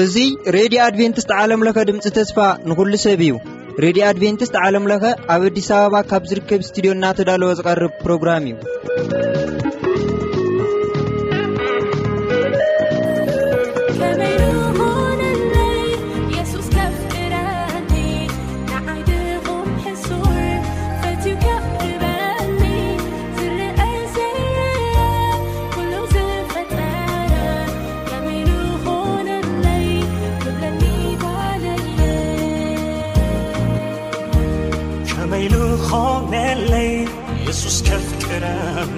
እዚ ሬድዮ ኣድቬንቲስት ዓለም ለኸ ድምፂ ተስፋ ንኹሉ ሰብ እዩ። ሬድዮ ኣድቬንቲስት ዓለም ለኸ ኣብ ኣዲስ ኣበባ ካብ ዝርከብ ስቱዲዮ እናተዳለወ ዝቐርብ ፕሮግራም እዩ። ከመይ ንኾነለይ የሱስ ከፍቅረኒ፣ ንዓይ ድኹም ሕሱር ፈትዩ ከቕርበኒ፣ ዝረአ ዘይረአ ኩሉ ዝፈጠረ፣ ከመይ ንኾነለይ ክብለኒ ጓለየ። ከመይ ንኾነለይ የሱስ ከፍቅረኒ፣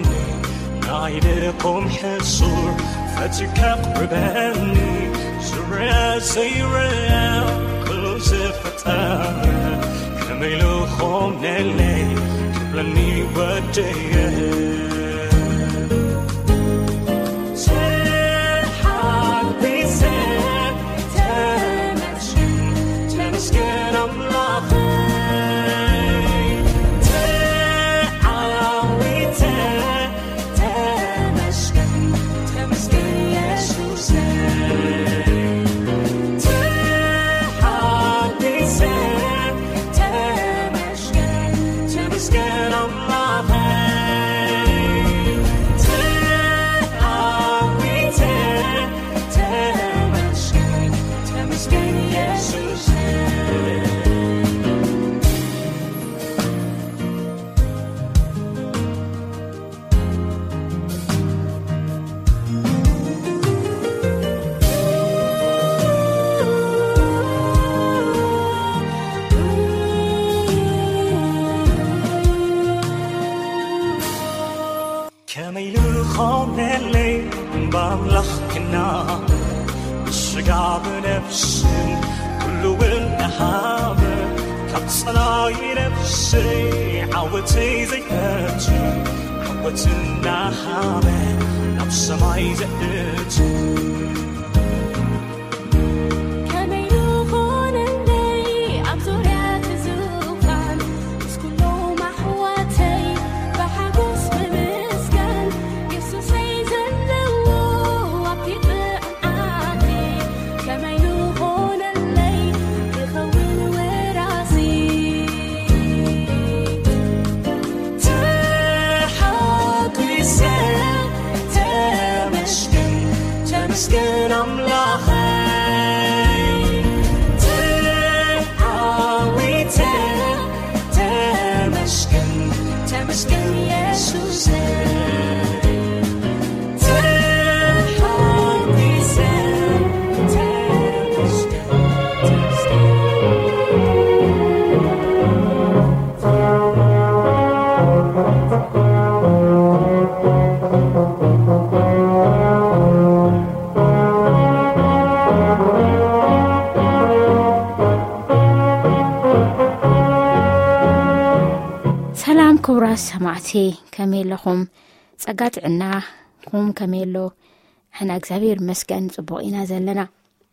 ንዓይ ድኹም ሕሱር ፈትዩ ከቕርበኒ፣ ዝረአ ዘይረአ ኩሉ ዝፈጠረ፣ ከመይ ንኾነለይ ክብለኒ ወደየ። ተሓጒሰ ተመስገን፣ ተመስገን ኣምላኸይ። ተዓዊተ ተመስገን፣ ተመስገን የሱሰይ። ተሓጒሰ ተመስገን፣ ተመስገን ኣምላኸይ። ተዓዊተ ተመስገን፣ ተመስገን የሱሰይ። ከመይ ዝኾነለይ ብኣምላኽ ክናበብ፣ ብስጋ ብነፍስን ኩሉ እውን እናሃበ፣ ካብ ጸላኢ ነፍሰይ ዓወተይ ዘይፈቱ፣ ዓወት እናሃበ ናብ ሰማይ ዘእቱ። ከመይ ይኾነለይ ኣብ ዙርያ እቲ ዙፋን ምስ ኩሎም ኣሕዋተይ ብሓጎስ ብምስጋን፣ የሱሰይ ዘለዎ ኣብቲ ጥዑም ዓዲ ከመይ ይኾነለይ ክኸውን ወራሲ። ተሓጒሰ ተመስገን፣ ተመስገን ኣምላኸይ። ተዓዊተ ተመስገን፣ ተመስገን የሱሰይ። ተሓጒሰ ተመስገን፣ ተመስገን። ሰላም ክቡራት ሰማዕቲ፣ ከመይ ኣለኹም? ጸጋ ጥዕናኹም ከመይ ኣሎ? ሕና እግዚኣብሔር ይመስገን ጽቡቕ ኢና ዘለና።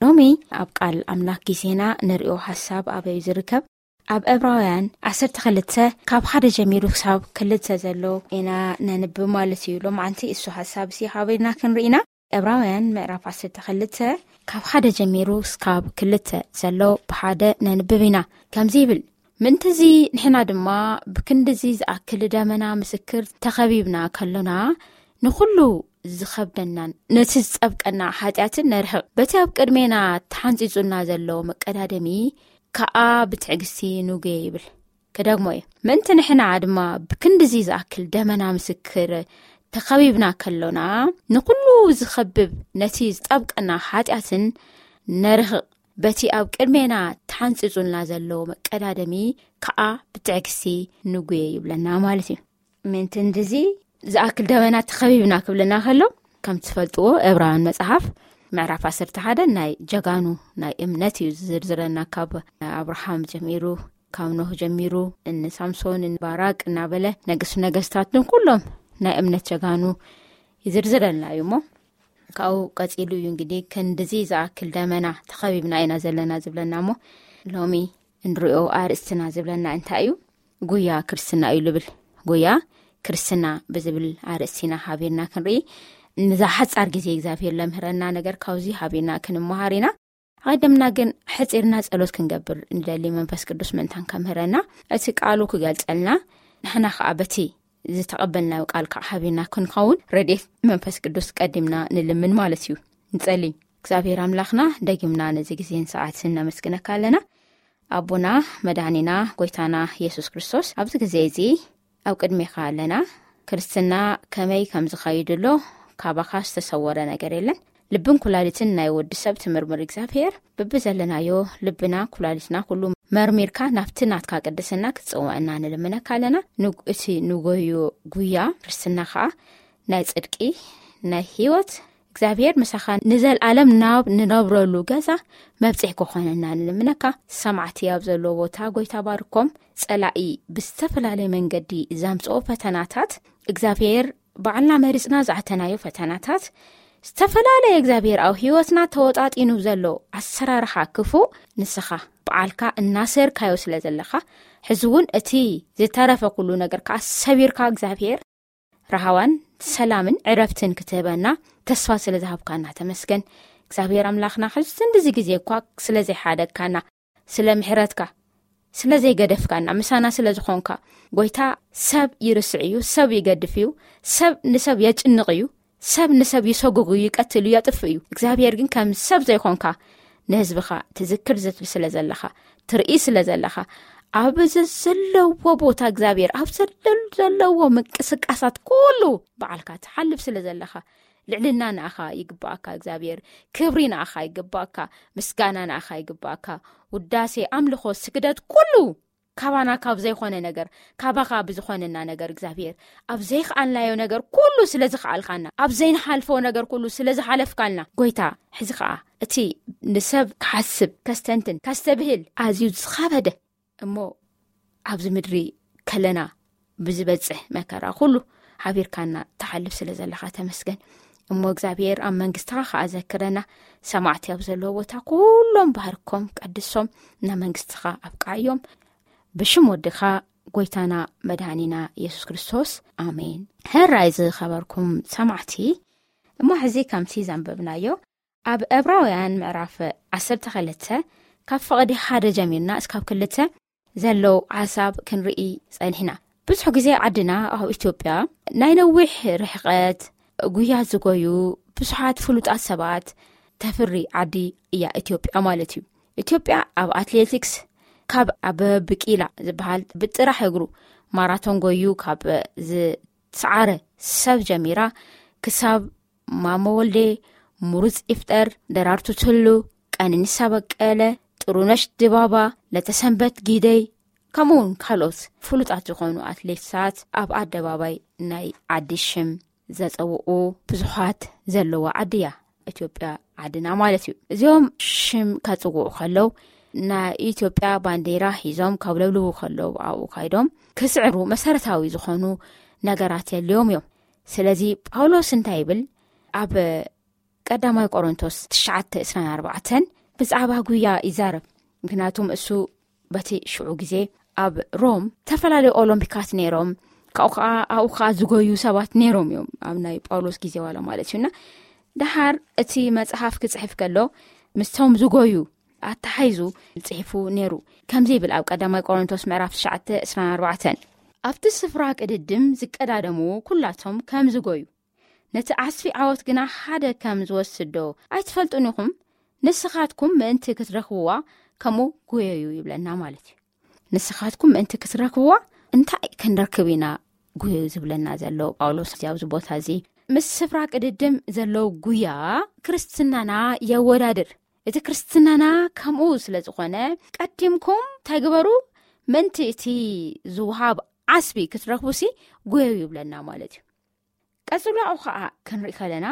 ሎሚ ኣብ ቃል ኣምላኽ ግዜና ንሪኦ ሓሳብ ኣበይ ዝርከብ? ኣብ ዕብራውያን ዓሰርተ ክልተ ካብ ሓደ ጀሚሩ ክሳብ ክልተ ዘሎ ኢና ነንብብ ማለት እዩ። ሎማዓንቲ እሱ ሓሳብ እዚ ሃበይና ክንርኢና። ዕብራውያን ምዕራፍ ዓሰርተ ክልተ ካብ ሓደ ጀሚሩ ክሳብ ክልተ ዘሎ ብሓደ ነንብብ ኢና። ከምዚ ይብል፣ ምእንትዚ ንሕና ድማ ብክንድዚ ዝኣክል ደመና ምስክር ተኸቢብና ከሎና፣ ንኹሉ ዝኸብደናን ነቲ ዝጸብቀና ሓጢኣትን ነርሕቕ። በቲ ኣብ ቅድሜና ተሓንጺጹና ዘሎ መቀዳደሚ ከኣ ብትዕግስቲ ንጉየ ይብል። ክደግሞ እየ። ምእንቲ ንሕና ድማ ብክንድዚ ዝኣክል ደመና ምስክር ተኸቢብና ከሎና፣ ንኹሉ ዝኸብብ ነቲ ዝጸብቀና ሓጢኣትን ነርሕቕ። በቲ ኣብ ቅድሜና ተሓንጺጹልና ዘሎ መቀዳደሚ ከኣ ብትዕግስቲ ንጉየ ይብለና ማለት እዩ። ምእንቲ እንድዚ ዝኣክል ደመና ተኸቢብና ክብለና ከሎ፣ ከም ትፈልጥዎ ዕብራውያን መጽሓፍ ምዕራፍ ዓሰርተ ሓደ ናይ ጀጋኑ ናይ እምነት እዩ ዝዝርዝረና። ካብ ኣብርሃም ጀሚሩ፣ ካብ ኖህ ጀሚሩ፣ እኒ ሳምሶን፣ እኒ ባራቅ እናበለ ነገስቱ ነገስታትን ኩሎም ናይ እምነት ጀጋኑ ይዝርዝረልና እዩ እሞ፣ ካብኡ ቀጺሉ እዩ እንግዲህ ክንድዚ ዝኣክል ደመና ተኸቢብና ኢና ዘለና ዝብለና እሞ፣ ሎሚ እንሪኦ ኣርእስትና ዝብለና እንታይ እዩ? ጉያ ክርስትና እዩ ልብል። ጉያ ክርስትና ብዝብል ኣርእስቲ ኢና ሓቢርና ክንርኢ። ንዛ ሓጻር ግዜ እግዚኣብሔር ለምህረና ነገር ካብዚ ሓቢርና ክንመሃር ኢና። ኣቐደምና ግን ሕጺርና ጸሎት ክንገብር ንደሊ፣ መንፈስ ቅዱስ ምእንታን ከምህረና፣ እቲ ቃሉ ክገልጸልና፣ ንሕና ከኣ በቲ ዝተቐበልናዮ ቃል ከዓ ሓቢርና ክንኸውን ረድኤት መንፈስ ቅዱስ ቀዲምና ንልምን ማለት እዩ። ንጸሊ። እግዚኣብሔር ኣምላኽና፣ ደጊምና ነዚ ግዜን ሰዓትን ነመስግነካ ኣለና። ኣቦና፣ መድኃኒና፣ ጎይታና የሱስ ክርስቶስ፣ ኣብዚ ግዜ እዚ ኣብ ቅድሜኻ ኣለና። ክርስትና ከመይ ከም ዝኸይድ ኣሎ ካባኻ ዝተሰወረ ነገር የለን። ልብን ኩላሊትን ናይ ወዲ ሰብ ትምርምር እግዚኣብሔር፣ ብብዘለናዮ ልብና ኩላሊትና ኩሉ መርሚርካ ናብቲ ናትካ ቅድስና ክትጽውዐና ንልምነካ ኣለና። ንግ-፣ እቲ ንጎዮ ጉያ ክርስትና ኸኣ ናይ ጽድቂ፣ ናይ ህይወት፣ እግዚኣብሔር ምሳኻ ንዘልኣለም ናብ ንነብረሉ ገዛ መብጽሒ ክኾነና ንልምነካ። ሰማዕቲ ኣብ ዘለዎ ቦታ ጎይታ ባርኮም። ጸላኢ ብዝተፈላለየ መንገዲ ዘምጽኦ ፈተናታት፣ እግዚኣብሔር ባዕልና መሪጽና ዝኣተናዮ ፈተናታት፣ ዝተፈላለየ እግዚኣብሔር ኣብ ህይወትና ተወጣጢኑ ዘሎ ኣሰራርሓ ክፉእ፣ ንስኻ በዓልካ እናሰርካዮ ስለ ዘለኻ፣ ሕዚ እውን እቲ ዝተረፈ ኩሉ ነገር ከኣ ሰቢርካ እግዚኣብሔር ራህዋን ሰላምን ዕረፍትን ክትህበና ተስፋ ስለ ዝሃብካና ተመስገን። እግዚኣብሔር ኣምላኽና፣ ሕዚ እንደዚ ግዜ እኳ ስለ ዘይሓደግካና፣ ስለ ምሕረትካ፣ ስለ ዘይገደፍካና፣ ምሳና ስለ ዝኾንካ፣ ጎይታ፣ ሰብ ይርስዕ እዩ፣ ሰብ ይገድፍ እዩ፣ ሰብ ንሰብ የጭንቕ እዩ፣ ሰብ ንሰብ ይሰጉግ እዩ፣ ይቀትል እዩ፣ የጥፍእ እዩ። እግዚኣብሔር ግን ከም ሰብ ዘይኾንካ ንህዝብኻ ትዝክር ዝትል ስለ ዘለኻ፣ ትርኢ ስለ ዘለኻ፣ ኣብ ዘ-፣ ዘለዎ ቦታ እግዚኣብሔር ኣብ ዘለ-፣ ዘለዎ ምንቅስቃሳት ኩሉ በዓልካ ትሓልፍ ስለ ዘለኻ፣ ልዕልና ንኣኻ ይግባኣካ እግዚኣብሔር፣ ክብሪ ንኣኻ ይግባኣካ፣ ምስጋና ንኣኻ ይግባኣካ፣ ውዳሴ፣ ኣምልኾ፣ ስግደት ኩሉ ካባና ካብ ዘይኾነ ነገር፣ ካባኻ ብዝኾነና ነገር እግዚኣብሔር፣ ኣብ ዘይከኣልናዮ ነገር ኩሉ ስለ ዝኸኣልካና፣ ኣብ ዘይንሓልፎ ነገር ኩሉ ስለ ዝሓለፍካልና፣ ጎይታ፣ ሕዚ ኸኣ እቲ ንሰብ ክሓስብ፣ ከስተንትን፣ ከስተብህል ኣዝዩ ዝኸበደ እሞ ኣብዚ ምድሪ ከለና ብዝበጽሕ መከራ ኩሉ ሓቢርካና ትሓልፍ ስለ ዘለኻ ተመስገን። እሞ እግዚኣብሔር ኣብ መንግስትኻ ከኣ ዘክረና። ሰማዕቲ ኣብ ዘለዎ ቦታ ኩሎም ባህርኮም ቀድሶም ናብ መንግስትኻ ኣብቅዓዮም። ብሽም ወድኻ ጎይታና መድኃኒና የሱስ ክርስቶስ፣ ኣሜን። ሕራይ ዝኸበርኩም ሰማዕቲ፣ እሞ ሕዚ ከምቲ ዘንበብናዮ ኣብ ዕብራውያን ምዕራፍ ዓሰርተ ክልተ ካብ ፍቕዲ ሓደ ጀሚርና እስካብ ክልተ ዘለዉ ሓሳብ ክንርኢ ጸኒሕና። ብዙሕ ግዜ ዓድና ኣብ ኢትዮጵያ ናይ ነዊሕ ርሕቐት ጉያ ዝጎዩ ብዙሓት ፍሉጣት ሰባት ተፍሪ ዓዲ እያ ኢትዮጵያ ማለት እዩ። ኢትዮጵያ ኣብ ኣትሌቲክስ ካብ ኣበበ ቢቂላ ዝበሃል ብጥራሕ እግሩ ማራቶን ጎዩ ካብ ዝሰዓረ ሰብ ጀሚራ ክሳብ ማሞ ወልዴ፣ ምሩጽ ይፍጠር፣ ደራርቱ ቱሉ፣ ቀነኒሳ በቀለ፣ ጥሩነሽ ድባባ፣ ለተሰንበት ጊደይ፣ ከምኡ እውን ካልኦት ፍሉጣት ዝኾኑ ኣትሌታት ኣብ ኣደባባይ ናይ ዓዲ ሽም ዘጸውቑ ብዙሓት ዘለዋ ዓዲ እያ ኢትዮጵያ ዓድና ማለት እዩ። እዚኦም ሽም ከጽውዑ ከለዉ ናይ ኢትዮጵያ ባንዴራ ሒዞም ካብ ለብልቡ ከለዉ ኣብኡ ካይዶም ክስዕሩ መሰረታዊ ዝኾኑ ነገራት የድልዮም እዮም። ስለዚ ጳውሎስ እንታይ ይብል? ኣብ ቀዳማይ ቆሮንቶስ ትሽዓተ ዕስራን ኣርባዕተን ብዛዕባ ጉያ ይዛረብ። ምክንያቱም እሱ በቲ ሽዑ ግዜ ኣብ ሮም ዝተፈላለዩ ኦሎምፒካት ነይሮም፣ ካብኡ ከዓ ኣብኡ ከዓ ዝጎዩ ሰባት ነይሮም እዮም፣ ኣብ ናይ ጳውሎስ ግዜ ዋላ ማለት እዩና። ደሓር እቲ መጽሓፍ ክጽሕፍ ከሎ ምስቶም ዝጎዩ ኣተሓይዙ ጽሒፉ ነይሩ። ከምዚ ይብል ኣብ ቀዳማይ ቆሮንቶስ ምዕራፍ ትሽዓተ ዕስራን ኣርባዕተን፣ ኣብቲ ስፍራ ቅድድም ዝቀዳደሙ ኩላቶም ከም ዝጎዩ፣ ነቲ ዓስቢ ዓወት ግና ሓደ ከም ዝወስዶ ኣይትፈልጡን ኢኹም? ንስኻትኩም ምእንቲ ክትረኽብዋ ከምኡ ጉየዩ ይብለና ማለት እዩ። ንስኻትኩም ምእንቲ ክትረኽብዋ እንታይ ክንረክብ ኢና ጉየዩ ዝብለና ዘሎ ጳውሎስ ኣብዚ ቦታ እዚ? ምስ ስፍራ ቅድድም ዘለዉ ጉያ ክርስትናና የወዳድር። እቲ ክርስትናና ከምኡ ስለ ዝኾነ ቀዲምኩም እንታይ ግበሩ? ምእንቲ እቲ ዝወሃብ ዓስቢ ክትረኽቡሲ ጉየዩ ይብለና ማለት እዩ። ቀጽሎ ኣብኡ ኸኣ ክንርኢ ከለና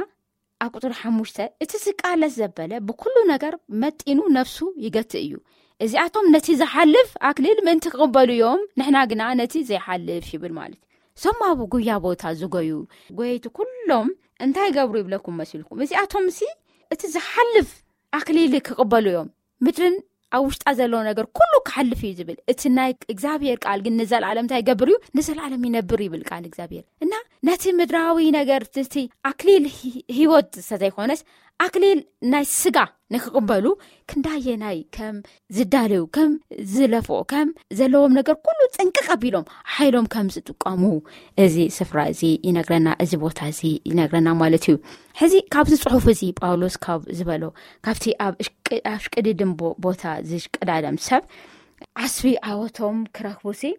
ኣብ ቁጽሪ ሓሙሽተ፣ እቲ ዝቃለስ ዘበለ ብኩሉ ነገር መጢኑ ነፍሱ ይገትእ እዩ። እዚኣቶም ነቲ ዝሓልፍ ኣክሊል ምእንቲ ክቕበሉ እዮም፣ ንሕና ግና ነቲ ዘይሓልፍ ይብል ማለት እዩ። እዞም ኣብ ጉያ ቦታ ዝጎዩ ጎየይቲ ኩሎም እንታይ ይገብሩ ይብለኩም መሲልኩም? እዚኣቶምሲ እቲ ዝሓልፍ ኣክሊል ክቕበሉ እዮም። ምድርን ኣብ ውሽጣ ዘሎ ነገር ኩሉ ክሓልፍ እዩ ዝብል። እቲ ናይ እግዚኣብሔር ቃል ግን ንዘለኣለም እንታይ ይገብር እዩ? ንዘለኣለም ይነብር ይብል ቃል እግዚኣብሔር። እና ነቲ ምድራዊ ነገር፣ እቲ ኣክሊል ሂ- ህይወት ዝተዘይኮነስ ኣክሊል ናይ ስጋ ንክቕበሉ ክንዳየናይ ከም ዝዳለዩ፣ ከም ዝለፍኦ፣ ከም ዘለዎም ነገር ኩሉ ጥንቅቕ ኣቢሎም ሓይሎም ከም ዝጥቀሙ እዚ ስፍራ እዚ ይነግረና፣ እዚ ቦታ እዚ ይነግረና ማለት እዩ። ሕዚ ካብዚ ጽሑፍ እዚ ጳውሎስ ካብ ዝበሎ፣ ካብቲ ኣብ እሽቅ- ኣብ ሽቅድድም ቦ- ቦታ ዝሽቅዳደም ሰብ ዓስቢ ዓወቶም ክረክቡ ሲ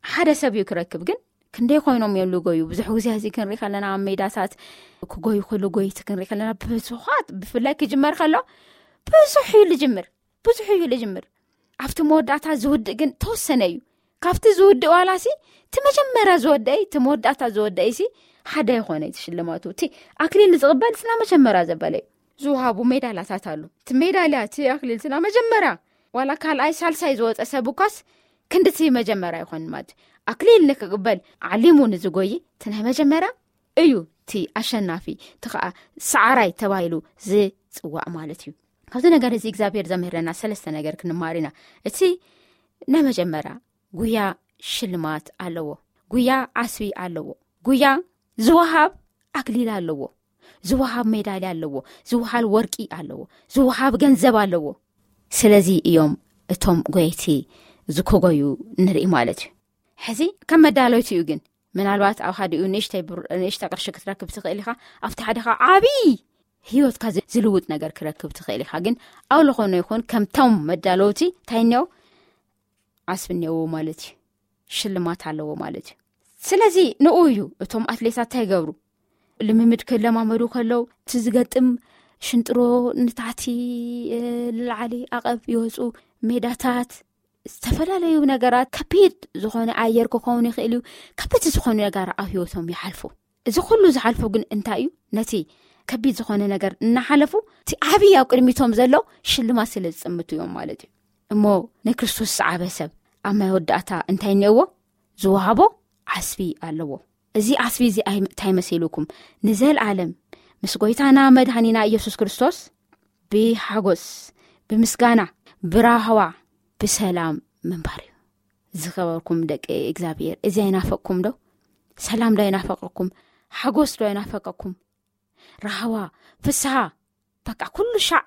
ሓደ ሰብ እዩ ክረክብ። ግን ክንደይ ኮይኖም እዮም ልጎዩ? ብዙሕ ግዜ እዚ ክንርኢ ከለና ኣብ ሜዳታት ክጎዩ፣ ክልጎይቲ ክንርኢ ከለና ብዙሓት፣ ብፍላይ ክጅመር ከሎ ብዙሕ እዩ ልጅምር፣ ብዙሕ እዩ ልጅምር። ኣብቲ መወዳእታ ዝውድእ ግን ተወሰነ እዩ። ካብቲ ዝውድእ ዋላ ሲ እቲ መጀመርያ ዝወደይ፣ እቲ መወዳእታ ዝወደይ ሲ ሓደ ይኾነ እዩ ሽልማቱ። እቲ ኣክሊል ዝቕበል ስና መጀመርያ ዘበለ እዩ። ዝውሃቡ ሜዳላታት ኣሉ። እቲ ሜዳልያ፣ እቲ ኣክሊል ስና መጀመርያ ዋላ ካልኣይ ሳልሳይ ዝወፀ ሰብ እኳስ ክንድቲ መጀመርያ ይኾን ማለት እዩ። ኣክሊል ንክቕበል ዓሊሙ ንዝጎይ እቲ ናይ መጀመርያ እዩ እቲ ኣሸናፊ፣ እቲ ከዓ ሰዓራይ ተባሂሉ ዝፅዋዕ ማለት እዩ። ካብዚ ነገር እዚ እግዚኣብሔር ዘምህረና ሰለስተ ነገር ክንማር ኢና። እቲ ናይ መጀመርያ ጉያ ሽልማት ኣለዎ። ጉያ ዓስቢ ኣለዎ። ጉያ ዝወሃብ ኣክሊል ኣለዎ። ዝወሃብ ሜዳልያ ኣለዎ። ዝወሃብ ወርቂ ኣለዎ። ዝወሃብ ገንዘብ ኣለዎ። ስለዚ እዮም እቶም ጎየቲ ዝኮጎዩ ንርኢ ማለት እዩ። ሕዚ ከም መዳለይቲ እዩ። ግን ምናልባት ኣብ ሓዲኡ ንእሽተይ ብር- ንእሽተ ቅርሺ ክትረክብ ትኽእል ኢኻ፣ ኣብቲ ሓደኻ ዓብዪ ህይወትካ ዝ- ዝልውጥ ነገር ክረክብ ትኽእል ኢኻ። ግን ኣብ ዝኾነ ይኹን ከምቶም መዳለውቲ እንታይ እኒኦ? ዓስቢ እኒኦዎ ማለት እዩ። ሽልማት ኣለዎ ማለት እዩ። ስለዚ ንኡ እዩ እቶም ኣትሌታት እንታይ ይገብሩ? ልምምድ ክለማመዱ ከለው እቲ ዝገጥም ሽንጥሮ ንታሕቲ፣ እ፣ ንላዕሊ ኣቐብ ይወፁ። ሜዳታት፣ ዝተፈላለዩ ነገራት፣ ከቢድ ዝኾነ ኣየር ክኸውን ይኽእል እዩ። ከበድቲ ዝኾኑ ነገራት ኣብ ህይወቶም ይሓልፉ። እዚ ኩሉ ዝሓልፉ ግን እንታይ እዩ? ነቲ ከቢድ ዝኾነ ነገር እናሓለፉ እቲ ዓብዪ ኣብ ቅድሚቶም ዘሎ ሽልማት ስለ ዝጥምቱ እዮም ማለት እዩ። እሞ ንክርስቶስ ዝሰዓበ ሰብ ኣብ መወዳእታ እንታይ እኒኦዎ? ዝወሃቦ ዓስቢ ኣለዎ። እዚ ዓስቢ እዚ ኣይ- እንታይ መሲሉኩም? ንዘለኣለም ምስ ጎይታና መድሃኒና ኢየሱስ ክርስቶስ ብሓጎስ፣ ብምስጋና፣ ብራህዋ፣ ብሰላም ምንባር እዩ። ዝኸበርኩም ደቂ እግዚኣብሔር፣ እዚ ኣይናፈቅኩም ዶ? ሰላም ዶ ኣይናፈቀኩም? ሓጎስ ዶ ኣይናፈቀኩም? ራህዋ፣ ፍስሃ፣ በቃ ኩሉ ሻዕ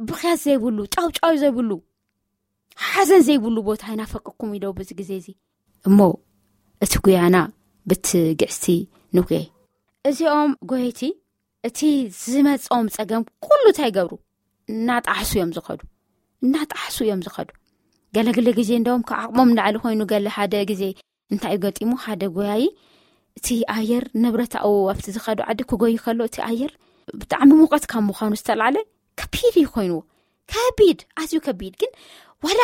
ብኽያት ዘይብሉ፣ ጫውጫው ዘይብሉ፣ ሓዘን ዘይብሉ ቦታ ኣይናፈቀኩም እዩ ዶ በዚ ግዜ እዚ? እሞ እቲ ጉያና ብትግዕስቲ ንጉየ። እዚኦም ጎየቲ እቲ ዝመጾም ጸገም ኩሉ እንታይ ይገብሩ? እናጣሕሱ እዮም ዝኸዱ። እናጣሕሱ እዮም ዝኸዱ። ገለግለ ግዜ እንደውም ካብ ዓቕሞም ንላዕሊ ኮይኑ፣ ገለ ሓደ ግዜ እንታይ እዩ ገጢሙ? ሓደ ጎያዪ እቲ ኣየር ንብረታኡ ኣብቲ ዝኸዱ ዓዲ ክጎይ ከሎ እቲ ኣየር ብጣዕሚ ሙቐት ካብ ምዃኑ ዝተላዕለ ከቢድ እዩ ኮይንዎ። ከቢድ፣ ኣዝዩ ከቢድ። ግን ዋላ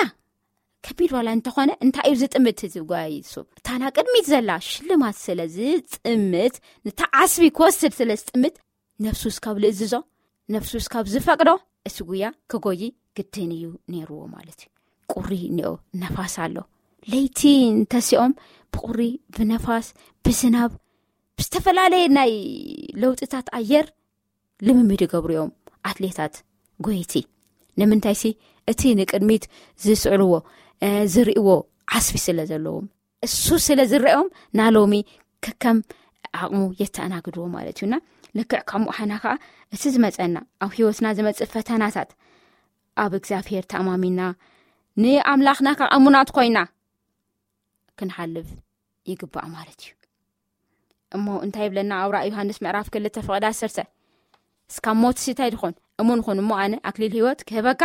ከቢድ ዋላ እንተኾነ እንታይ እዩ ዝጥምት እዚ ጎያዪ? እሱ እታ ና ቅድሚት ዘላ ሽልማት ስለ ዝጥምት፣ ንታ ዓስቢ ክወስድ ስለ ዝጥምት፣ ነፍሱ እስካብ ልእዝዞ፣ ነፍሱ እስካብ ዝፈቅዶ እቲ ጉያ ክጎይ ግድን እዩ ነይርዎ ማለት እዩ። ቁሪ እኒኦ፣ ነፋስ ኣሎ። ለይቲ እንተሲኦም ብቁሪ፣ ብነፋስ፣ ብዝናብ፣ ብዝተፈላለየ ናይ ለውጥታት ኣየር ልምምድ ይገብሩ እዮም ኣትሌታት ጎይቲ። ንምንታይሲ እቲ ንቅድሚት ዝስዕርዎ፣ እ፣ ዝርእይዎ ዓስቢ ስለ ዘለዎም። እሱ ስለ ዝረኦም ናሎሚ ከከም ዓቕሙ የተኣናግድዎ ማለት እዩና። ልክዕ ከምኡ ሓና ከዓ እቲ ዝመፀና ኣብ ህይወትና ዝመፅእ ፈተናታት ኣብ እግዚኣብሔር ተኣማሚና ንኣምላኽና ከዓ እሙናት ኮይና ክንሓልፍ ይግባእ ማለት እዩ። እሞ እንታይ ይብለና ኣብ ራእይ ዮሃንስ ምዕራፍ ክልተ ፍቕዲ ዓሰርተ? እስካብ ሞት እንታይ ድኾን እሙን ኹን እሞ ኣነ ኣክሊል ህይወት ክህበካ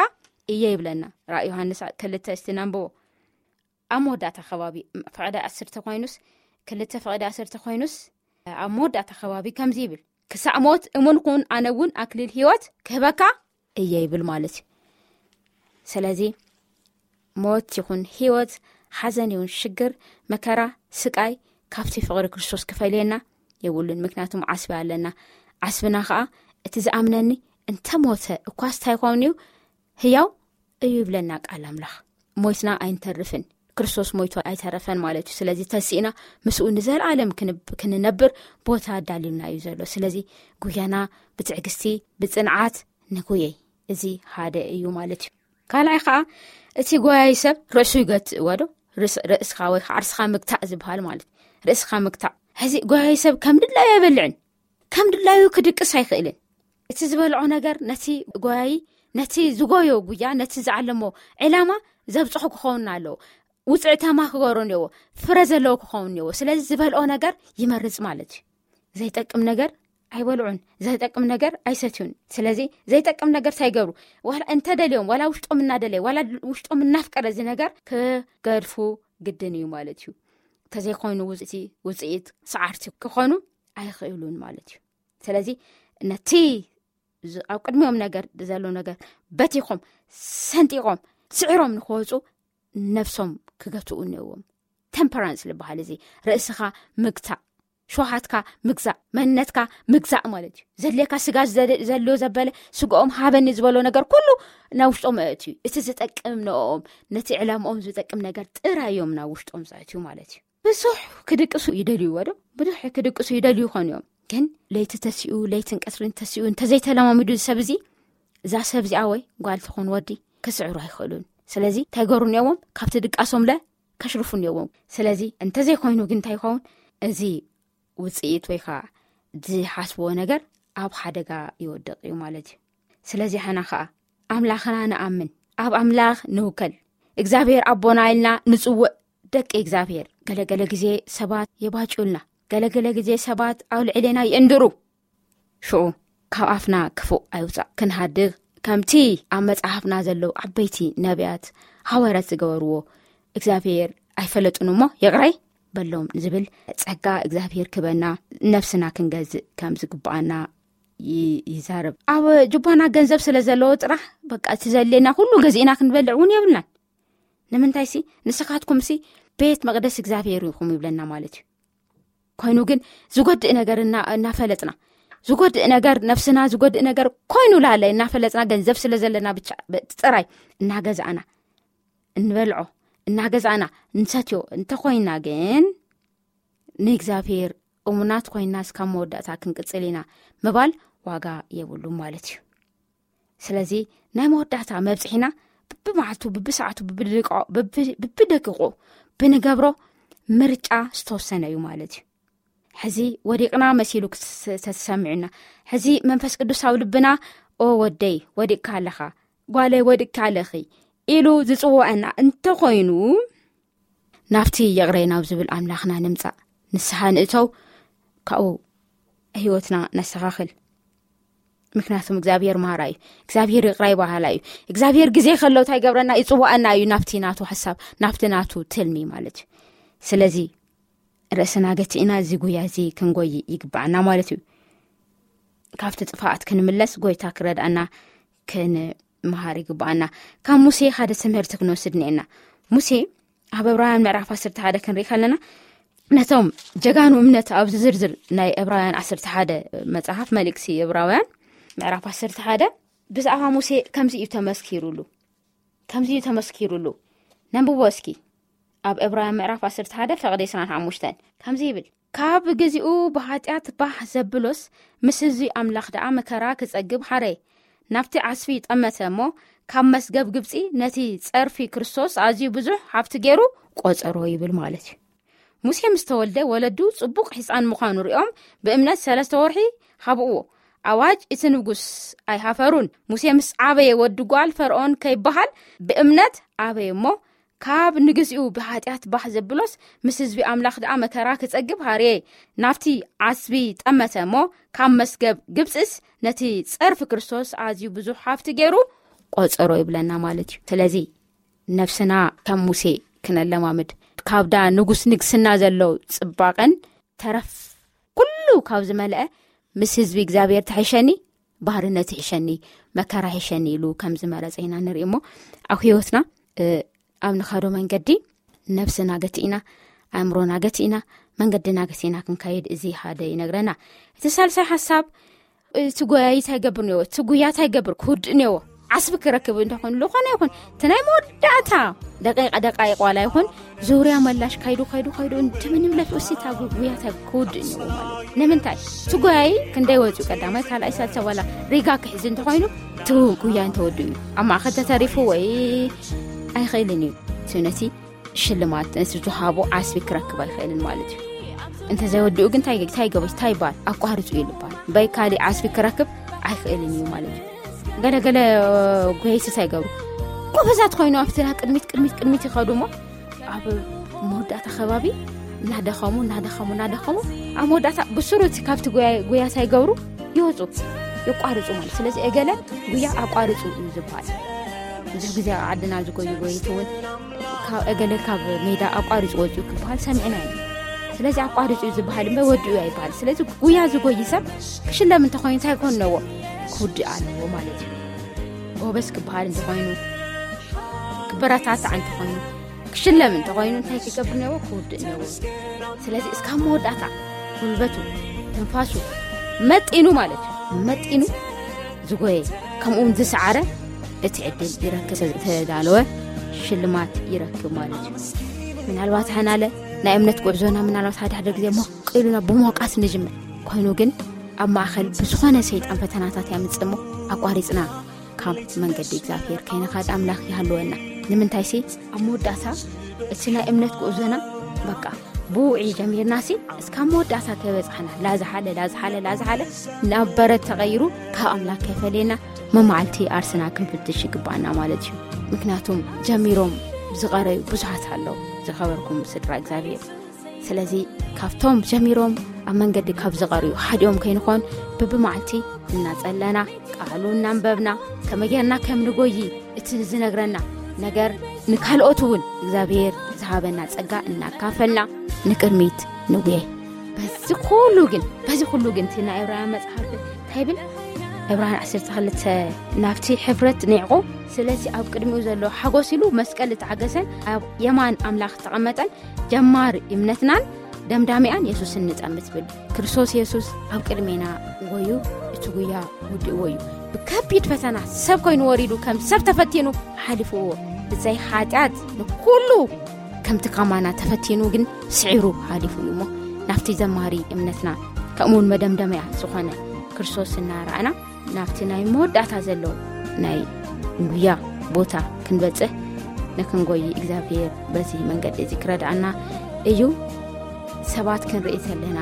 እየ ይብለና። ራእይ ዮሃንስ ክልተ እስቲ ነንብቦ። ኣብ መወዳእታ ከባቢ ፍቕዲ ዓሰርተ ኮይኑስ፣ ክልተ ፍቕዲ ዓሰርተ ኮይኑስ፣ ኣብ መወዳእታ ከባቢ ከምዚ ይብል፣ ክሳዕ ሞት እሙን ኩን ኣነ እውን ኣክሊል ህይወት ክህበካ እየ ይብል ማለት እዩ። ስለዚ ሞት ይኹን ህይወት፣ ሓዘን ይኹን ሽግር፣ መከራ፣ ስቃይ ካብቲ ፍቕሪ ክርስቶስ ክፈልየና የብሉን። ምክንያቱም ዓስቢ ኣለና። ዓስብና ከዓ እቲ ዝኣምነኒ እንተ ሞተ እኳስ እንታይ ይኸውን እዩ? ህያው እዩ ይብለና ቃል ኣምላኽ። ሞይትና ኣይንተርፍን፣ ክርስቶስ ሞይቱ ኣይተረፈን ማለት እዩ። ስለዚ ተሲእና ምስኡ ንዘለኣለም ክንብ- ክንነብር ቦታ ኣዳልዩልና እዩ ዘሎ። ስለዚ ጉያና ብትዕግስቲ ብጽንዓት ንጉየይ። እዚ ሓደ እዩ ማለት እዩ። ካልኣይ ከዓ እቲ ጎያይ ሰብ ርእሱ ይገትእዎ ዶ? ርእስኻ ወይ ከዓ ርስኻ ምግታእ ዝበሃል ማለት፣ ርእስኻ ምግታእ። ሕዚ ጎያይ ሰብ ከም ድላዩ ኣይበልዕን፣ ከም ድላዩ ክድቅስ ኣይኽእልን። እቲ ዝበልዖ ነገር ነቲ ጎያይ፣ ነቲ ዝጎዮ ጉያ፣ ነቲ ዝዓለሞ ዕላማ ዘብፅሖ ክኸውን ኣለዎ። ውፅዕታማ ክገሮ እኒዎ፣ ፍረ ዘለዎ ክኸውን እኒዎ። ስለዚ ዝበልዖ ነገር ይመርፅ ማለት እዩ። ዘይጠቅም ነገር ኣይበልዑን፣ ዘይጠቅም ነገር ኣይሰትዩን። ስለዚ ዘይጠቅም ነገር እንታይ ይገብሩ? ዋላ እንተደልዮም፣ ዋላ ውሽጦም እናደለየ፣ ዋላ ውሽጦም እናፍቀረ እዚ ነገር ክገድፉ ግድን እዩ ማለት እዩ። እንተዘይኮይኑ ውፅኢት፣ ውፅኢት ሰዓርቲ ክኾኑ ኣይኽእሉን ማለት እዩ። ስለዚ ነቲ ዝ- ኣብ ቅድሚኦም ነገር ዘሎ ነገር በቲኾም፣ ሰንጢቖም፣ ስዒሮም ንክወፁ ነብሶም ክገትኡ እኒዎም። ቴምፐራንስ ዝበሃል እዚ ርእስኻ ምግታእ፣ ሸውሃትካ ምግዛእ፣ መንነትካ ምግዛእ ማለት እዩ። ዘድልየካ ስጋ ዘደ- ዘድልዮ ዘበለ ስጋኦም ሃበኒ ዝበሎ ነገር ኩሉ ናብ ውሽጦም ኣእትዩ። እቲ ዝጠቅም ንኦም፣ ነቲ ዕላምኦም ዝጠቅም ነገር ጥራይ እዮም ናብ ውሽጦም ዘእትዩ ማለት እዩ። ብዙሕ ክድቅሱ ይደልዩ ወዶ፣ ብዙሕ ክድቅሱ ይደልዩ ይኾኑ እዮም። ግን ለይቲ ተሲኡ፣ ለይትን ቀትርን ተሲኡ እንተዘይተለማሚዱ ሰብ እዚ፣ እዛ ሰብ እዚኣ ወይ ጓል ትኾን ወዲ ክስዕሩ ኣይኽእሉን። ስለዚ እንታይ ገሩ እኒዎም? ካብቲ ድቃሶም ለ ከሽርፉ እኒዎም። ስለዚ እንተዘይኮይኑ ግን እንታይ ይኸውን? እዚ ውፅኢት ወይ ከዓ ዝሓስብዎ ነገር ኣብ ሓደጋ ይወድቕ እዩ ማለት እዩ። ስለዚ ሓና ከዓ ኣምላኽና ንኣምን፣ ኣብ ኣምላኽ ንውከል። እግዚኣብሔር ኣቦና ኢልና ንጽውዕ። ደቂ እግዚኣብሔር፣ ገለገለ ግዜ ሰባት የባጭውልና፣ ገለገለ ግዜ ሰባት ኣብ ልዕሌና ይእንድሩ። ሽዑ ካብ ኣፍና ክፉእ ኣይውፃእ፣ ክንሃድግ ከምቲ ኣብ መጽሓፍና ዘለዉ ዓበይቲ ነቢያት ሃዋርያት ዝገበርዎ፣ እግዚኣብሔር ኣይፈለጡን እሞ ይቕረይ በሎም ዝብል ጸጋ እግዚኣብሔር ክበና፣ ነፍስና ክንገዝእ ከም ዝግብኣና ይ- ይዛረብ። ኣብ ጁባና ገንዘብ ስለ ዘለዎ ጥራሕ በቃ እቲ ዘድልየና ኩሉ ገዚእና ክንበልዕ እውን የብልናን። ንምንታይሲ ንስኻትኩምሲ ቤት መቕደስ እግዚኣብሔር ኢኹም ይብለና ማለት እዩ። ኮይኑ ግን ዝጎድእ ነገር እና- እናፈለጥና፣ ዝጎድእ ነገር፣ ነፍስና ዝጎድእ ነገር ኮይኑ ላለ እናፈለጥና፣ ገንዘብ ስለ ዘለና ብቻ ብ- ጥራይ እናገዛእና እንበልዖ፣ እናገዛእና እንሰትዮ እንተኾይና ግን ንእግዚኣብሔር እሙናት ኮይና እስካብ መወዳእታ ክንቅጽል ኢና ምባል ዋጋ የብሉ ማለት እዩ። ስለዚ ናይ መወዳእታ መብጽሒና ብብመዓልቱ፣ ብብሰዓቱ፣ ብብደቂቆ፣ ብብ- ብብደቂቁ ብንገብሮ ምርጫ ዝተወሰነ እዩ ማለት እዩ። ሕዚ ወዲቕና መሲሉ ክስ- ተተሰሚዑና፣ ሕዚ መንፈስ ቅዱስ ኣብ ልብና፣ "ኦ ወደይ ወዲቕካ ኣለኻ፣ ጓለይ ወዲቕካ ኣለኺ" ኢሉ ዝጽውዐና እንተኾይኑ፣ ናብቲ ይቕረይ ናብ ዝብል ኣምላኽና ንምጻእ፣ ንስሓ ንእተው፣ ካብኡ ህይወትና ነስተኻኽል። ምክንያቱም እግዚኣብሔር መሃራ እዩ። እግዚኣብሔር ይቕራይ በሃላ እዩ። እግዚኣብሔር ግዜ ከሎ እንታይ ይገብረና? ይጽዋኣና እዩ ናብቲ ናቱ ሓሳብ፣ ናብቲ ናቱ ትልሚ ማለት እዩ። ስለዚ ርእስና ገቲእና እዚ ጉያ እዚ ክንጎይ ይግባኣና ማለት እዩ። ካብቲ ጥፋኣት ክንምለስ ጎይታ ክረድኣና ክንመሃር ይግባኣና። ካብ ሙሴ ሓደ ትምህርቲ ክንወስድ እኒኤና። ሙሴ ኣብ ዕብራውያን ምዕራፍ ዓሰርተ ሓደ ክንርኢ ከለና፣ ነቶም ጀጋኑ እምነት ኣብዚ ዝርዝር ናይ ዕብራውያን ዓሰርተ ሓደ መጽሓፍ፣ መልእክቲ ዕብራውያን ምዕራፍ ዓሰርተ ሓደ፣ ብዛዕባ ሙሴ ከምዚ እዩ ተመስኪሩሉ። ከምዚ እዩ ተመስኪሩሉ። ነንብቦ እስኪ። ኣብ ዕብራውያን ምዕራፍ ዓሰርተ ሓደ ፈቕዲ ዕስራን ሓሙሽተን ከምዚ ይብል፣ "ካብ ግዚኡ ብሓጢኣት ባህ ዘብሎስ ምስ ህዝቢ ኣምላኽ ደኣ መከራ ክጸግብ ሓረየ። ናብቲ ዓስቢ ጠመተ እሞ ካብ መስገብ ግብጺ ነቲ ጸርፊ ክርስቶስ ኣዝዩ ብዙሕ ሃብቲ ገይሩ ቆጸሮ" ይብል ማለት እዩ። ሙሴ ምስ ተወልደ ወለዱ ጽቡቕ ሕጻን ምዃኑ ሪኦም ብእምነት ሰለስተ ወርሒ ሃብእዎ። ኣዋጅ እቲ ንጉስ ኣይሃፈሩን። ሙሴ ምስ ዓበየ ወዲ ጓል ፈርዖን ከይበሃል ብእምነት ዓበየ እሞ ካብ ንግዚኡ ብሓጢኣት ባህ ዘብሎስ ምስ ህዝቢ ኣምላኽ ደኣ መከራ ክጸግብ ሃርየ። ናብቲ ዓስቢ ጠመተ እሞ ካብ መስገብ ግብጽስ ነቲ ጸርፊ ክርስቶስ ኣዝዩ ብዙሕ ሃብቲ ገይሩ ቆጸሮ ይብለና ማለት እዩ። ስለዚ ነፍስና ከም ሙሴ ክነለማምድ፣ ካብዳ ንጉስ ንግስና ዘሎ ጽባቐን ተረፍ ኩሉ ካብ ዝመልአ ምስ ህዝቢ እግዚኣብሔር ትሕሸኒ፣ ባርነት ይሕሸኒ፣ መከራ ይሕሸኒ ኢሉ ከም ዝመረጸ ኢና ንርኢ እሞ፣ ኣብ ህይወትና፣ እ፣ ኣብ ንኸዶ መንገዲ ነብስና ገቲእና፣ ኣእምሮና ገቲእና፣ መንገድና ገቲእና ክንከይድ እዚ ሓደ ይነግረና። እቲ ሳልሳይ ሓሳብ፣ እቲ ጎያይ እንታይ ይገብር ነይዎ? እቲ ጉያ እንታይ ይገብር? ክውድእ ነይዎ። ዓስቢ ክረክብ እንተኾይኑ ዝኾነ ይኹን እቲ ናይ መወዳእታ ደቂቃ ደቃይቅ ዋላ ይኹን ዙርያ መላሽ ካይዱ ካይዱ ካይዱ እንደምንም ለፊ ውሲታ ጉያታ ክውድእ እኒዎ ማለት እዩ። ንምንታይ እቲ ጎያይ ክንደይ ወፂኡ ቀዳማይ ካልኣይ ሳልሳይ ዋላ ሪጋ ክሕዝ እንተኾይኑ እቲ ጉያ እንተወድኡ እዩ ኣብ ማእኸል ተተሪፉ ወይ ኣይኽእልን እዩ እቲ ነቲ ሽልማት ነቲ ዝሃቦ ዓስቢ ክረክብ ኣይኽእልን ማለት እዩ። እንተዘይወድኡ ግን እንታይ እንታይ ይገበ እንታይ ይባል ኣቋርፁ እዩ ልባል በይ ካሊእ ዓስቢ ክረክብ ኣይኽእልን እዩ ማለት እዩ። ገለገለ ጎይስስ ኣይገብሩ ጎበዛት ኮይኑ ኣብቲ ና ቅድሚት ቅድሚት ቅድሚት ይኸዱ እሞ ኣብ መወዳእታ ከባቢ እናደኸሙ እናደኸሙ እናደኸሙ ኣብ መወዳእታ ብስሩ እቲ ካብቲ ጉያ ሳይገብሩ ይወፁ ይቋርፁ ማለት። ስለዚ እገለ ጉያ ኣቋርፁ እዩ ዝበሃል። ብዙሕ ግዜ ኣብ ዓድና ዝጎዩ ጎይት እውን ካብ እገለ ካብ ሜዳ ኣቋርፁ ወፅኡ ክበሃል ሰሚዕና ኢና። ስለዚ ኣቋርፁ እዩ ዝበሃል እምበር ወዲኡ ኣይበሃል። ስለዚ ጉያ ዝጎይ ሰብ ክሽለም እንተኾይኑ እንታይ ክኾን ኣለዎ? ክውድእ ኣለዎ ማለት እዩ። ጎበዝ ክበሃል እንተኾይኑ ክበረታታዕ እንተኾይኑ ክሽለም እንተኾይኑ እንታይ ክገብር ነዎ? ክውድእ ነዎ። ስለዚ እስካብ መወዳእታ ጉልበቱ ትንፋሱ መጢኑ ማለት እዩ መጢኑ ዝጎየ ከምኡ እውን ዝሰዓረ እቲ ዕድል ይረክብ ዝተዳለወ ሽልማት ይረክብ ማለት እዩ። ምናልባት ሓናለ ናይ እምነት ጉዕዞና ምናልባት ሓደ ሓደ ግዜ ሞቅ ኢሉና ብሞቃት ንጅምር ኮይኑ ግን ኣብ ማእኸል ብዝኾነ ሰይጣን ፈተናታት ያምፅእ እሞ ኣቋሪፅና ካብ መንገዲ እግዚኣብሔር ከይንኻድ ኣምላኽ ይሃልወና። ንምንታይ ሲ ኣብ መወዳእታ እቲ ናይ እምነት ጉዕዞና በቃ ብውዒ ጀሚርና ሲ እስካብ መወዳእታ ከይበፃሕና ላዝሓለ ላዝሓለ ላዝሓለ ናብ በረድ ተቐይሩ ካብ ኣምላኽ ከይፈለየና መማዕልቲ ኣርስና ክንፍትሽ ይግባኣና ማለት እዩ። ምክንያቱም ጀሚሮም ዝቐረዩ ብዙሓት ኣለዉ። ዝኸበርኩም ስድራ እግዚኣብሔር ስለዚ ካብቶም ጀሚሮም ኣብ መንገዲ ካብ ዝቐርዩ ሓዲኦም ከይንኾን ብብመዓልቲ እናጸለና ቃሉ እናንበብና ከመይ ጌርና ከም ንጎይ እቲ ዝነግረና ነገር ንካልኦት እውን እግዚኣብሔር ዝሃበና ጸጋ እናካፈልና ንቅድሚት ንጉየ። በዚ ኩሉ ግን በዚ ኩሉ ግን እቲ ናይ ዕብራውያን መጽሓፍ እንታይ ይብል? ዕብራውያን ዓሰርተ ክልተ ናብቲ ሕብረት ኒዕቆ ስለዚ ኣብ ቅድሚኡ ዘሎ ሓጎስ ኢሉ መስቀል እተዓገሰን ኣብ የማን ኣምላኽ ተቐመጠን ጀማሪ እምነትናን ደምዳሚኣን የሱስን ንጠምት ትብል። ክርስቶስ የሱስ ኣብ ቅድሜና ጎዩ እቲ ጉያ ውድእዎ እዩ። ብከቢድ ፈተና ሰብ ኮይኑ ወሪዱ ከም ሰብ ተፈቲኑ ሓሊፍዎ። ብዘይ ሓጢኣት ንኩሉ ከምቲ ካማና ተፈቲኑ ግን ስዒሩ ሓሊፉ እዩ እሞ ናብቲ ዘማሪ እምነትና ከምኡውን መደምደመያ ዝኾነ ክርስቶስ እናረኣና ናብቲ ናይ መወዳእታ ዘሎ ናይ ጉያ ቦታ ክንበጽሕ ንክንጎይ እግዚኣብሔር በዚ መንገዲ እዚ ክረድኣና እዩ። ሰባት ክንርኢ ከለና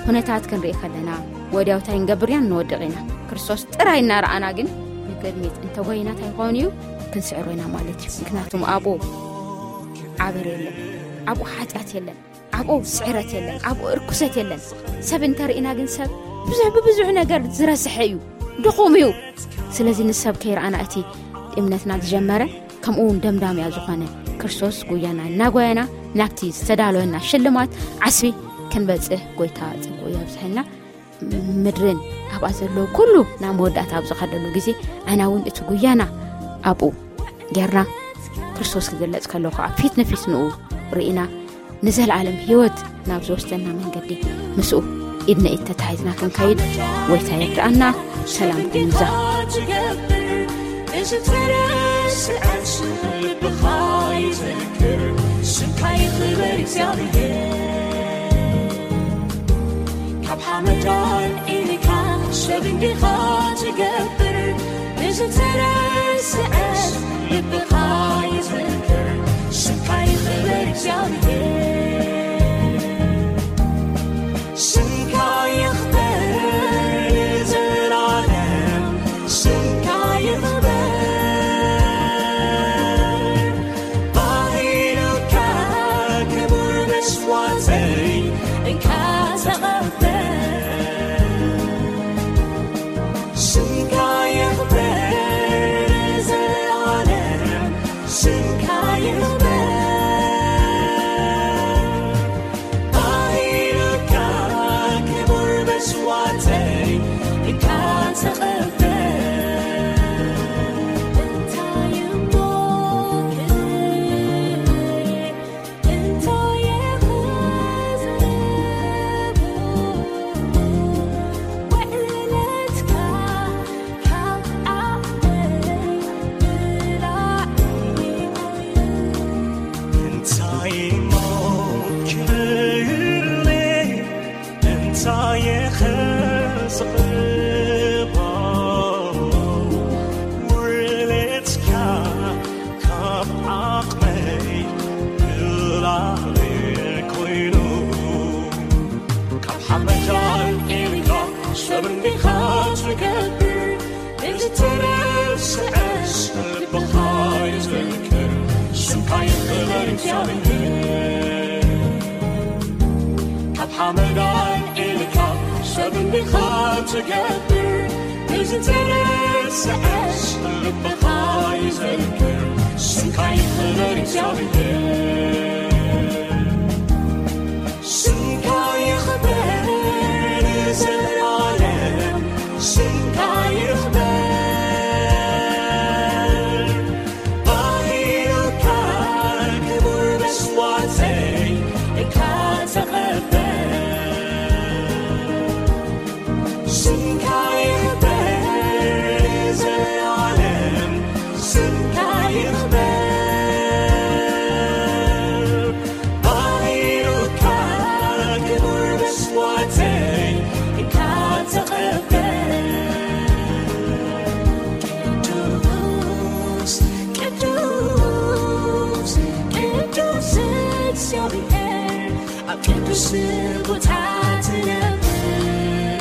ኩነታት ክንርኢ ከለና ወዲያው እንታይ ንገብር ኢና ንወድቕ ኢና። ክርስቶስ ጥራይ እናረኣና ግን ንቅድሚት እንተጎይና እንታይ ይኸውን እዩ? ክንስዕሮ ኢና ማለት እዩ። ምክንያቱም ኣብኡ ዓበር የለን፣ ኣብኡ ሓጢኣት የለን፣ ኣብኡ ስዕረት የለን፣ ኣብኡ እርኩሰት የለን። ሰብ እንተርኢና ግን ሰብ ብዙሕ ብብዙሕ ነገር ዝረስሐ እዩ፣ ድኹም እዩ። ስለዚ ንሰብ ከይረኣና እቲ እምነትና ዝጀመረ ከምኡ እውን ደምዳምያ ዝኾነ ክርስቶስ ጉያና እናጎየና ናብቲ ዝተዳለወና ሽልማት ዓስቢ ክንበጽሕ ጎይታ ጽጉ የብዝሐልና። ምድርን ኣብኣ ዘለዉ ኩሉ ናብ መወዳእታ ኣብ ዝኸደሉ ግዜ ኣና እውን እቲ ጉያና ኣብኡ ጌርና ክርስቶስ ክግለጽ ከሎ ከዓ ፊት ንፊት ንኡ ርኢና ንዘለኣለም ህይወት ናብ ዝወስደና መንገዲ ምስኡ ኢድ ንኢድ ተታሒዝና ክንከይድ ጎይታ ይርድኣና። ሰላም ኩኑ ይብዛ። ካብ ሓመዳን ኢልካ ሰብ እንዲኻ ትገብር ብዝተረስዐ ልብኻ ይዝክር ስምካ ይኽበር እግዚኣብሔር ስምካ ይኽበር ንዘለዓለም ስምካ ይኽበር ባህሉካ ክቡር መስዋዕተይ እንካ ተቐበል ስምካ ይኽበር ንዘለዓለም ስምካ ይኽበር ባህሉካ ክቡር መስዋዕተይ እንካ ተቐበል እንታይ እሞ ክብል እንታይ ይኽእል ትገብር፣ ብዝተረስዐስ ልብኻ ይዘክር፣ ስምካ ይኽበር እግዚኣብሔር። ካብ ሓመድ ኣልዒልካ ሰብ እንዲኻ ትገብር፣ ብዝተረስዐስ ልብኻ ይዘክር፣ ስምካ ይኽበር እግዚኣብሔር። ስምካ ይኽበር ንዘለዓለም፣ ስምካ ይኽበር። ባህልካ ክቡር መስዋዕተይ ኢልካ ተቐበል። ስምካ ይኽበር ንዘለዓለም፣ ስምካ ይኽበር። ባህልካ ክቡር መስዋዕተይ ኢልካ ተቐበል። ቅዱስ፣ ቅዱስ፣ ቅዱስ እግዚኣብሔር፣ ኣብ ቅዱስ ቦታ ትነብር።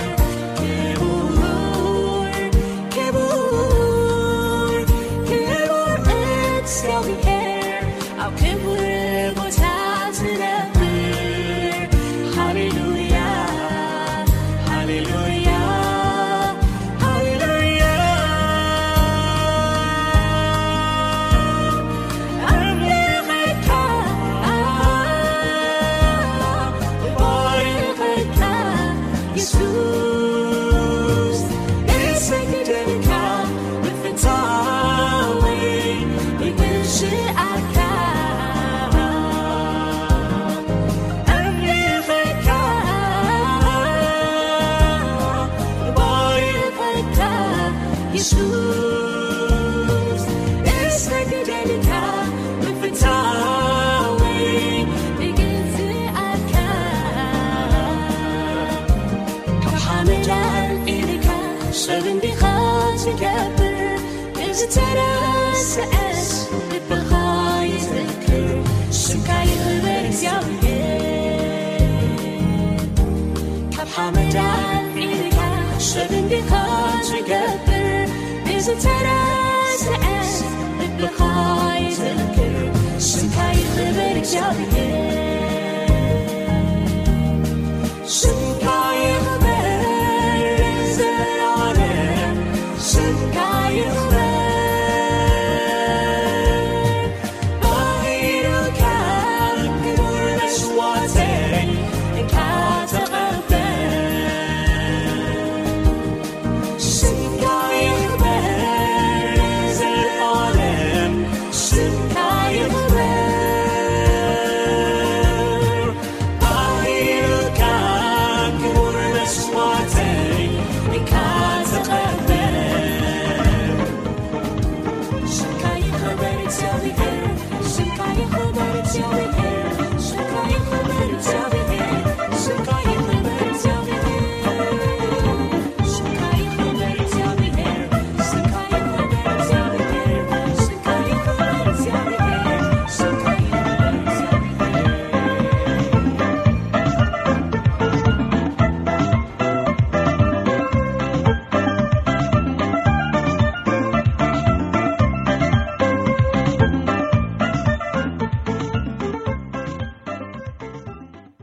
ክቡር፣ ክቡር፣ ክቡር እግዚኣብሔር፣ ኣብ ክቡር ቦታ ትነብር። ሃሌሉያ፣ ሃሌሉያ፣ ሃሌሉያ። ኣምልኸካ፣ እባርኸካ፣ የሱስ፣ እሰግደልካ፣ ምፍታወይ፣ እግዝኣካ። ኣምልኸካ፣ እባርኸካ፣ የሱስ፣ እሰግደልካ፣ ምፍታወይ፣ እግዝኣካ። ካብ ሓመድ ኣልዒልካ ሰብ እንዲኻ ትገብር፣ ብዝተረስዐስ ልብኻ ይዘክር፣ ስምካ ይኽበር እግዚኣብሔር። ካብ ሓመድ ኣልዒልካ ሰብ እንዲኻ ትገብር፣ ብዝተረስዐስ ልብኻ ይዘክር፣ ስምካ ይኽበር እግዚኣብሔር። ስም